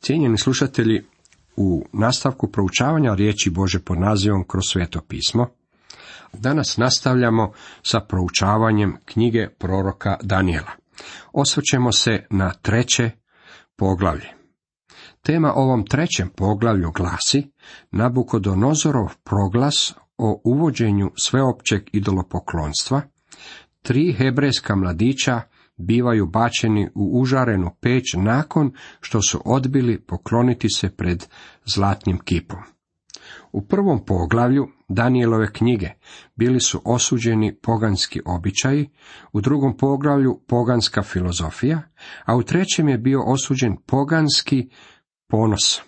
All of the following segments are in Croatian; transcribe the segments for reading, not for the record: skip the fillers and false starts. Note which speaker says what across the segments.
Speaker 1: Cijenjeni slušatelji, u nastavku proučavanja riječi Bože pod nazivom Kroz sveto pismo, danas nastavljamo sa proučavanjem knjige proroka Danijela. Osvrćemo se na 3. poglavlje. Tema ovom 3. poglavlju glasi Nabukodonozorov proglas o uvođenju sveopćeg idolopoklonstva. 3 hebrejska mladića bivaju bačeni u užarenu peć nakon što su odbili pokloniti se pred zlatnim kipom. U 1. poglavlju Danijelove knjige bili su osuđeni poganski običaji, u 2. poglavlju poganska filozofija, a u 3. je bio osuđen poganski ponos,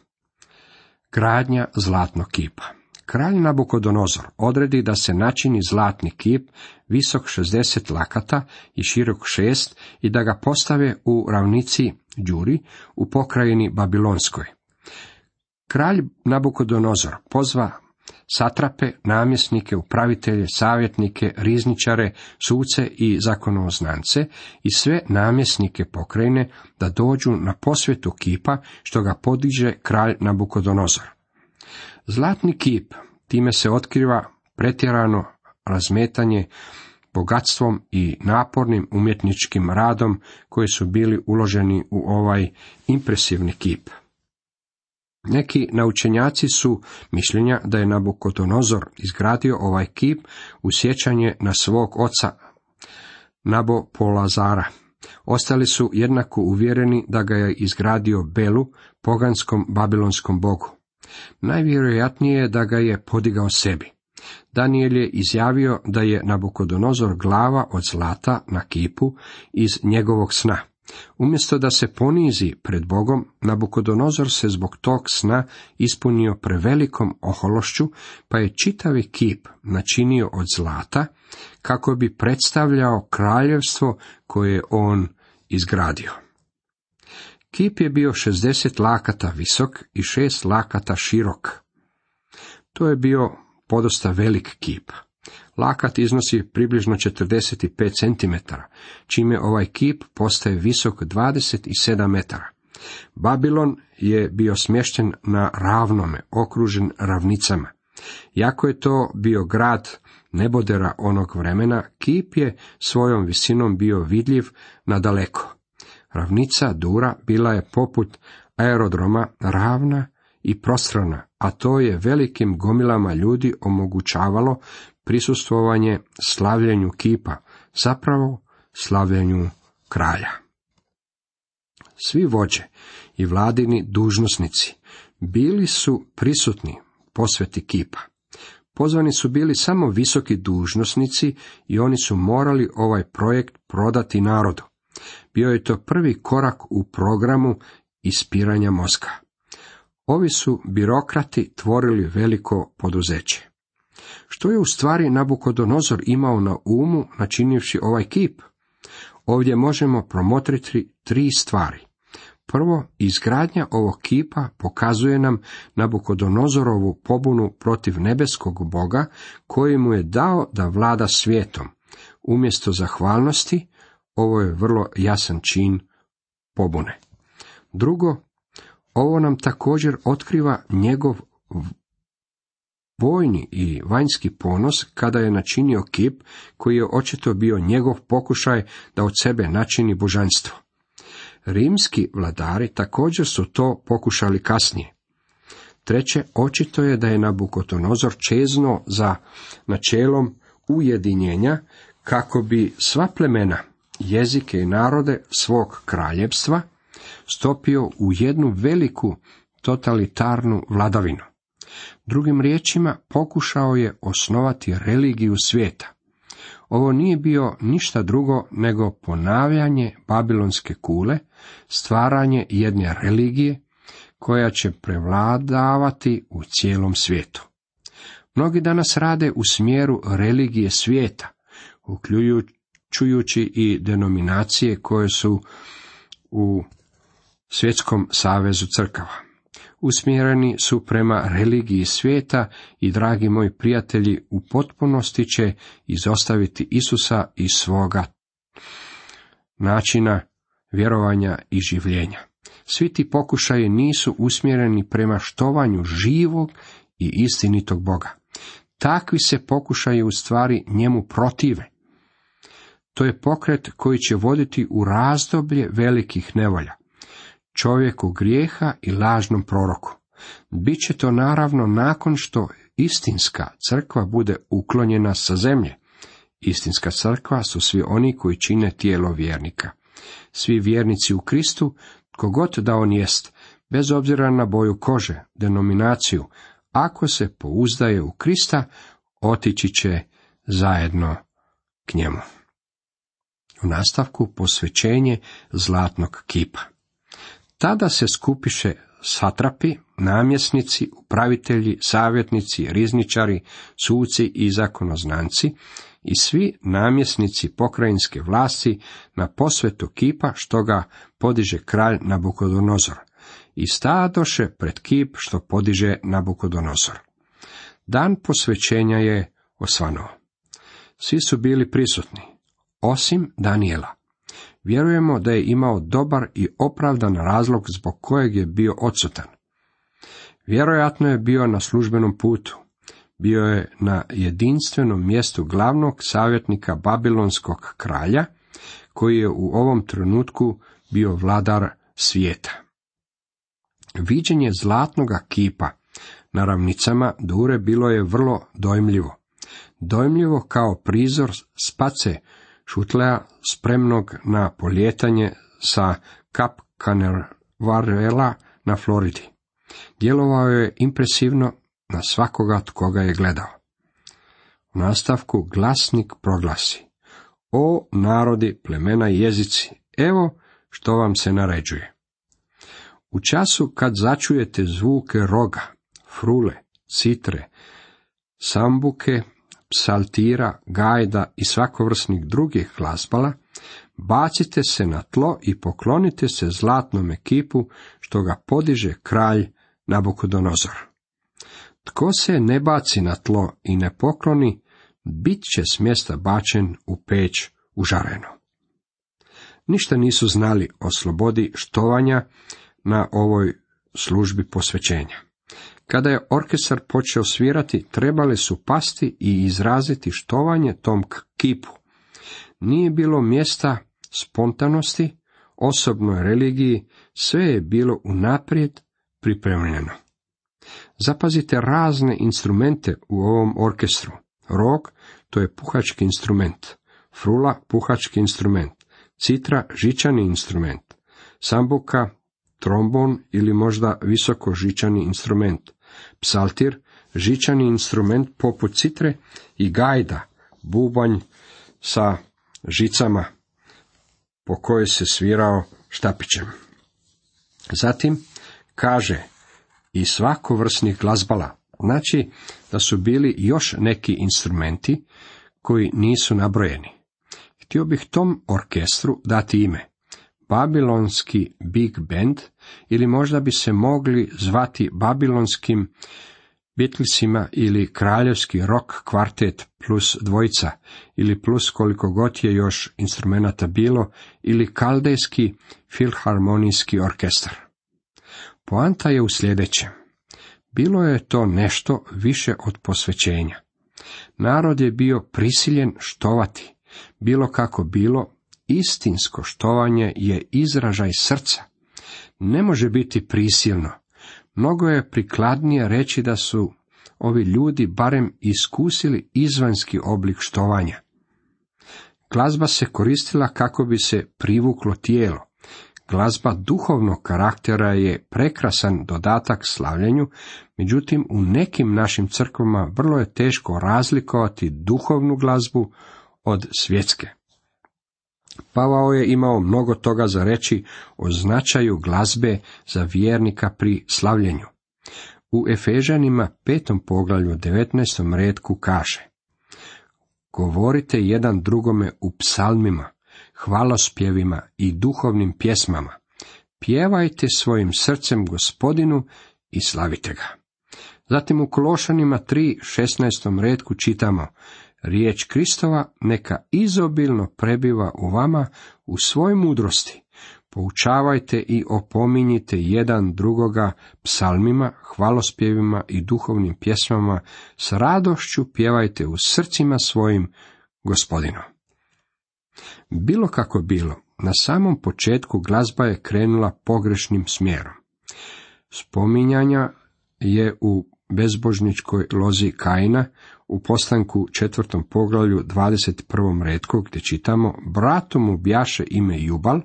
Speaker 1: gradnja zlatnog kipa. Kralj Nabukodonozor odredi da se načini zlatni kip visok 60 lakata i širok 6 i da ga postave u ravnici Đuri u pokrajini Babilonskoj. Kralj Nabukodonozor pozva satrape, namjesnike, upravitelje, savjetnike, rizničare, suce i zakonoznance i sve namjesnike pokrajine da dođu na posvetu kipa što ga podiže kralj Nabukodonozor. Zlatni kip, time se otkriva pretjerano razmetanje bogatstvom i napornim umjetničkim radom koji su bili uloženi u ovaj impresivni kip. Neki naučenjaci su mišljenja da je Nabukodonozor izgradio ovaj kip u sjećanje na svog oca Nabopolazara. Ostali su jednako uvjereni da ga je izgradio Belu, poganskom babilonskom bogu. Najvjerojatnije je da ga je podigao sebi. Danijel je izjavio da je Nabukodonozor glava od zlata na kipu iz njegovog sna. Umjesto da se ponizi pred Bogom, Nabukodonozor se zbog tog sna ispunio prevelikom ohološću, pa je čitavi kip načinio od zlata, kako bi predstavljao kraljevstvo koje je on izgradio. Kip je bio 60 lakata visok i 6 lakata širok. To je bio podosta velik kip. Lakat iznosi približno 45 cm, čime ovaj kip postaje visok 27 metara. Babilon je bio smješten na ravnome, okružen ravnicama. Iako je to bio grad nebodera onog vremena, kip je svojom visinom bio vidljiv nadaleko. Ravnica Dura bila je poput aerodroma ravna i prostrana, a to je velikim gomilama ljudi omogućavalo prisustvovanje slavljenju kipa, zapravo slavljenju kralja. Svi vođe i vladini dužnosnici bili su prisutni posveti kipa. Pozvani su bili samo visoki dužnosnici i oni su morali ovaj projekt prodati narodu. Bio je to prvi korak u programu ispiranja mozga. Ovi su birokrati tvorili veliko poduzeće. Što je u stvari Nabukodonozor imao na umu načinivši ovaj kip? Ovdje možemo promotriti 3 stvari. Prvo, izgradnja ovog kipa pokazuje nam Nabukodonozorovu pobunu protiv nebeskog Boga koji mu je dao da vlada svijetom. Umjesto zahvalnosti, ovo je vrlo jasan čin pobune. Drugo, ovo nam također otkriva njegov vojni i vanjski ponos kada je načinio kip koji je očito bio njegov pokušaj da od sebe načini božanstvo. Rimski vladari također su to pokušali kasnije. Treće, očito je da je Nabukodonozor čeznuo za načelom ujedinjenja kako bi sva plemena, jezike i narode svog kraljevstva stopio u jednu veliku totalitarnu vladavinu. Drugim riječima, pokušao je osnovati religiju svijeta. Ovo nije bio ništa drugo nego ponavljanje babilonske kule, stvaranje jedne religije koja će prevladavati u cijelom svijetu. Mnogi danas rade u smjeru religije svijeta, uključujući i denominacije koje su u Svjetskom savezu crkava. Usmjereni su prema religiji svijeta i, dragi moji prijatelji, u potpunosti će izostaviti Isusa iz svoga načina vjerovanja i življenja. Svi ti pokušaji nisu usmjereni prema štovanju živog i istinitog Boga. Takvi se pokušaji u stvari njemu protive. To je pokret koji će voditi u razdoblje velikih nevolja, čovjeku grijeha i lažnom proroku. Biće to naravno nakon što istinska crkva bude uklonjena sa zemlje. Istinska crkva su svi oni koji čine tijelo vjernika. Svi vjernici u Kristu, tko god da on jest, bez obzira na boju kože, denominaciju, ako se pouzdaje u Krista, otići će zajedno k njemu. U nastavku posvećenje zlatnog kipa. Tada se skupiše satrapi, namjesnici, upravitelji, savjetnici, rizničari, suci i zakonoznanci i svi namjesnici pokrajinske vlasti na posvetu kipa što ga podiže kralj Nabukodonozor i stadoše pred kip što podiže Nabukodonozor. Dan posvećenja je osvanuo. Svi su bili prisutni, osim Danijela. Vjerujemo da je imao dobar i opravdan razlog zbog kojeg je bio odsutan. Vjerojatno je bio na službenom putu. Bio je na jedinstvenom mjestu glavnog savjetnika babilonskog kralja, koji je u ovom trenutku bio vladar svijeta. Viđenje zlatnoga kipa na ravnicama Dure bilo je vrlo dojmljivo. Dojmljivo kao prizor space Šutlea spremnog na polijetanje sa Kap Canaverala na Floridi. Djelovao je impresivno na svakoga tko ga je gledao. U nastavku glasnik proglasi: O narodi, plemena i jezici, evo što vam se naređuje. U času kad začujete zvuke roga, frule, citre, sambuke, psaltira, gajda i svakovrsnih drugih glazbala, bacite se na tlo i poklonite se zlatnom kipu što ga podiže kralj Nabukodonozor. Tko se ne baci na tlo i ne pokloni, bit će s mjesta bačen u peć užarenu. Ništa nisu znali o slobodi štovanja na ovoj službi posvećenja. Kada je orkestar počeo svirati, trebali su pasti i izraziti štovanje tom kipu. Nije bilo mjesta spontanosti, osobnoj religiji, sve je bilo unaprijed pripremljeno. Zapazite razne instrumente u ovom orkestru. Rog, to je puhački instrument. Frula, puhački instrument. Citra, žičani instrument. Sambuka, trombon ili možda visoko žičani instrument. Psaltir, žičani instrument poput citre i gajda, bubanj sa žicama po kojoj se svirao štapićem. Zatim kaže i svakovrsnih glazbala, znači da su bili još neki instrumenti koji nisu nabrojeni. Htio bih tom orkestru dati ime Babilonski Big Band, ili možda bi se mogli zvati Babilonskim Beatlesima ili Kraljevski rock kvartet plus dvojica, ili plus koliko god je još instrumenata bilo, ili Kaldejski filharmonijski orkestar. Poanta je u sljedećem. Bilo je to nešto više od posvećenja. Narod je bio prisiljen štovati. Bilo kako bilo, istinsko štovanje je izražaj srca. Ne može biti prisilno. Mnogo je prikladnije reći da su ovi ljudi barem iskusili izvanjski oblik štovanja. Glazba se koristila kako bi se privuklo tijelo. Glazba duhovnog karaktera je prekrasan dodatak slavljenju, međutim u nekim našim crkvama vrlo je teško razlikovati duhovnu glazbu od svjetske. Pavao je imao mnogo toga za reći o značaju glazbe za vjernika pri slavljenju. U Efežanima 5. poglavlju 19. retku kaže: Govorite jedan drugome u psalmima, hvalospjevima i duhovnim pjesmama. Pjevajte svojim srcem Gospodinu i slavite ga. Zatim u Kološanima 3.16. retku čitamo: Riječ Kristova neka izobilno prebiva u vama u svoj mudrosti. Poučavajte i opominjite jedan drugoga psalmima, hvalospjevima i duhovnim pjesmama, s radošću pjevajte u srcima svojim Gospodinu. Bilo kako bilo, na samom početku glazba je krenula pogrešnim smjerom. Spominjanja je u bezbožničkoj lozi Kaina, u Postanku 4. poglavlju 21. retku, gdje čitamo: bratu mu bjaše ime Jubal,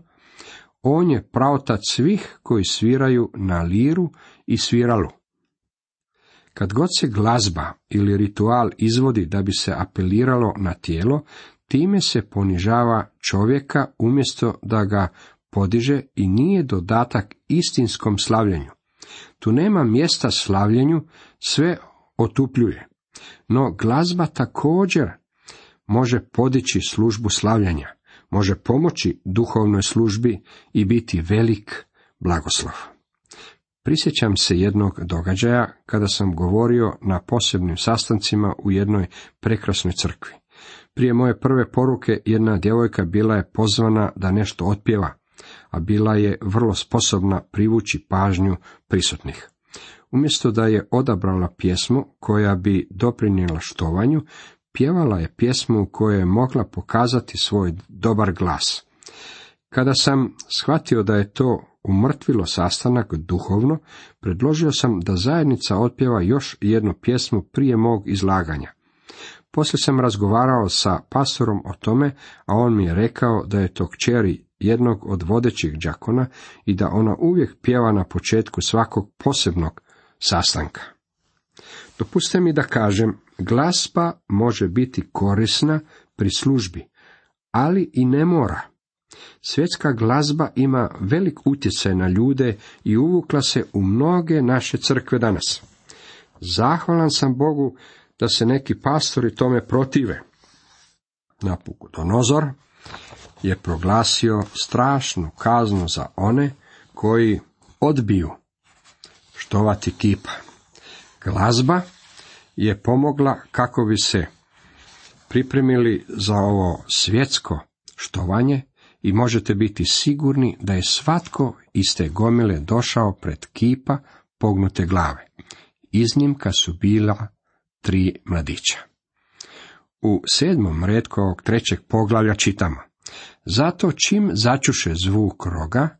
Speaker 1: on je praotac svih koji sviraju na liru i sviralu. Kad god se glazba ili ritual izvodi da bi se apeliralo na tijelo, time se ponižava čovjeka umjesto da ga podiže i nije dodatak istinskom slavljenju. Tu nema mjesta slavljenju, sve otupljuje. No glazba također može podići službu slavljenja, može pomoći duhovnoj službi i biti velik blagoslov. Prisjećam se jednog događaja kada sam govorio na posebnim sastancima u jednoj prekrasnoj crkvi. Prije moje prve poruke jedna djevojka bila je pozvana da nešto otpjeva, a bila je vrlo sposobna privući pažnju prisutnih. Umjesto da je odabrala pjesmu koja bi doprinijela štovanju, pjevala je pjesmu u kojoj je mogla pokazati svoj dobar glas. Kada sam shvatio da je to umrtvilo sastanak duhovno, predložio sam da zajednica otpjeva još jednu pjesmu prije mog izlaganja. Poslije sam razgovarao sa pastorom o tome, a on mi je rekao da je to kćeri jednog od vodećih đakona i da ona uvijek pjeva na početku svakog posebnog sastanka. Dopustite mi da kažem, glazba može biti korisna pri službi, ali i ne mora. Svjetska glazba ima velik utjecaj na ljude i uvukla se u mnoge naše crkve danas. Zahvalan sam Bogu da se neki pastori tome protive. Nabukodonozor je proglasio strašnu kaznu za one koji odbiju štovati kipa. Glazba je pomogla kako bi se pripremili za ovo svjetsko štovanje i možete biti sigurni da je svatko iz te gomile došao pred kipa pognute glave. Iznimka su bila 3 mladića. U 7. retku ovog 3. poglavlja čitamo: zato čim začuše zvuk roga,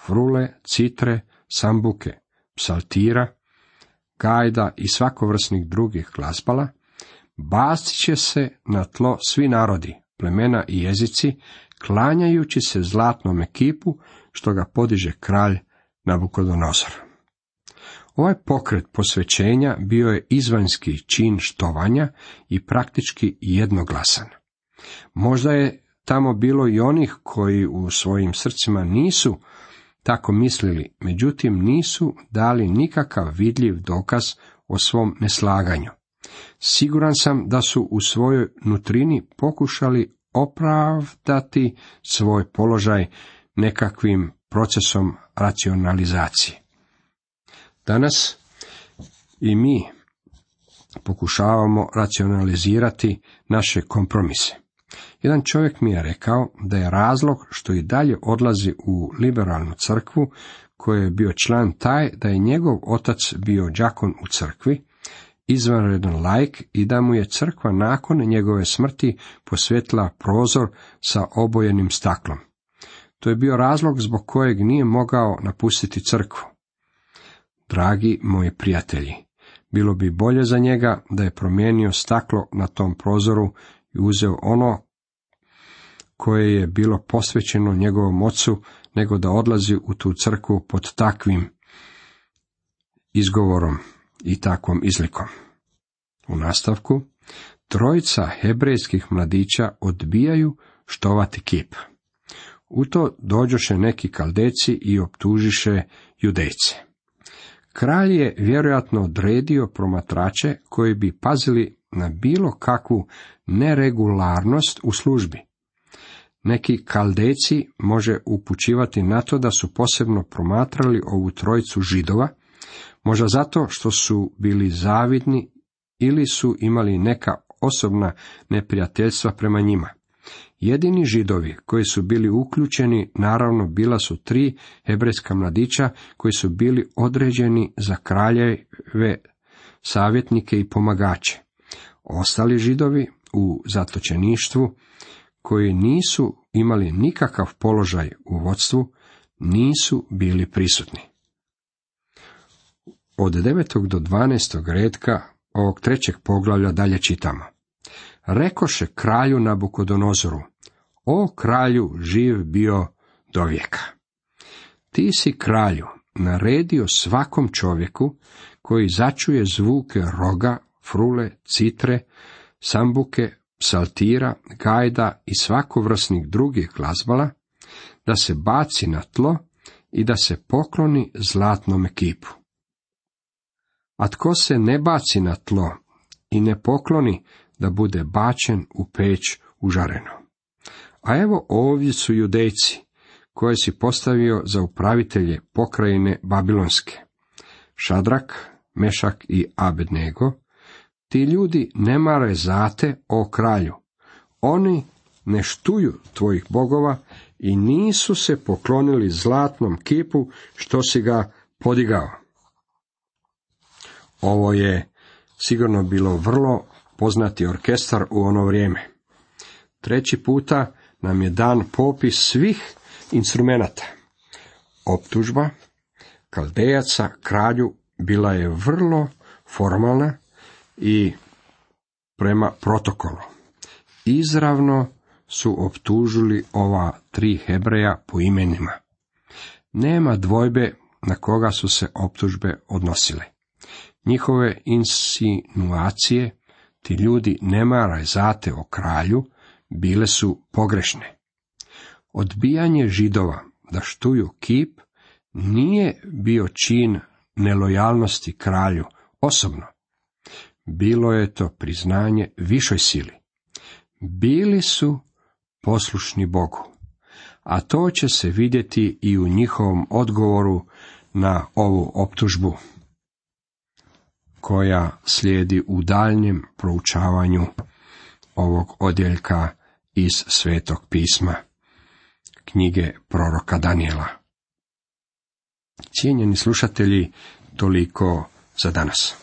Speaker 1: frule, citre, sambuke, psaltira, gajda i svakovrsnih drugih glazbala, bacit će se na tlo svi narodi, plemena i jezici, klanjajući se zlatnome kipu što ga podiže kralj Nabukodonozor. Ovaj pokret posvećenja bio je izvanjski čin štovanja i praktički jednoglasan. Možda je tamo bilo i onih koji u svojim srcima nisu tako mislili, međutim nisu dali nikakav vidljiv dokaz o svom neslaganju. Siguran sam da su u svojoj nutrini pokušali opravdati svoj položaj nekakvim procesom racionalizacije. Danas i mi pokušavamo racionalizirati naše kompromise. Jedan čovjek mi je rekao da je razlog što i dalje odlazi u liberalnu crkvu, koji je bio član, taj da je njegov otac bio đakon u crkvi, izvanredan laik, i da mu je crkva nakon njegove smrti posvetila prozor sa obojenim staklom. To je bio razlog zbog kojeg nije mogao napustiti crkvu. Dragi moji prijatelji, bilo bi bolje za njega da je promijenio staklo na tom prozoru i uzeo ono koje je bilo posvećeno njegovom ocu, nego da odlazi u tu crkvu pod takvim izgovorom i takvom izlikom. U nastavku, 3 hebrejskih mladića odbijaju štovati kip. U to dođoše neki Kaldejci i optužiše Judejce. Kralj je vjerojatno odredio promatrače koji bi pazili na bilo kakvu neregularnost u službi. Neki Kaldejci može upućivati na to da su posebno promatrali ovu trojicu Židova, možda zato što su bili zavidni ili su imali neka osobna neprijateljstva prema njima. Jedini Židovi koji su bili uključeni, naravno, bila su 3 hebrejska mladića koji su bili određeni za kraljeve, savjetnike i pomagače. Ostali Židovi u zatočeništvu, koji nisu imali nikakav položaj u vodstvu, nisu bili prisutni. Od 9. do 12. retka ovog 3. poglavlja dalje čitamo. Rekoše kralju Nabukodonozoru, o kralju živ bio do vijeka. Ti si, kralju, naredio svakom čovjeku koji začuje zvuke roga, frule, citre, sambuke, psaltira, gajda i svakovrsnih drugih glazbala, da se baci na tlo i da se pokloni zlatnome kipu. A tko se ne baci na tlo i ne pokloni, da bude bačen u peć užareno. A evo ovdje su Judejci, koje si postavio za upravitelje pokrajine Babilonske. Šadrak, Mešak i Abednego. Ti ljudi ne mare zate, o kralju. Oni ne štuju tvojih bogova i nisu se poklonili zlatnom kipu što si ga podigao. Ovo je sigurno bilo vrlo poznati orkestar u ono vrijeme. 3. puta nam je dan popis svih instrumenata. Optužba Kaldejaca kralju bila je vrlo formalna i prema protokolu. Izravno su optužili ova 3 Hebreja po imenima. Nema dvojbe na koga su se optužbe odnosile. Njihove insinuacije, ti ljudi ne maraju zate o kralju, bile su pogrešne. Odbijanje Židova da štuju kip nije bio čin nelojalnosti kralju osobno. Bilo je to priznanje višoj sili. Bili su poslušni Bogu, a to će se vidjeti i u njihovom odgovoru na ovu optužbu, koja slijedi u daljnjem proučavanju ovog odjeljka iz Svetog pisma, knjige proroka Danijela. Cijenjeni slušatelji, toliko za danas.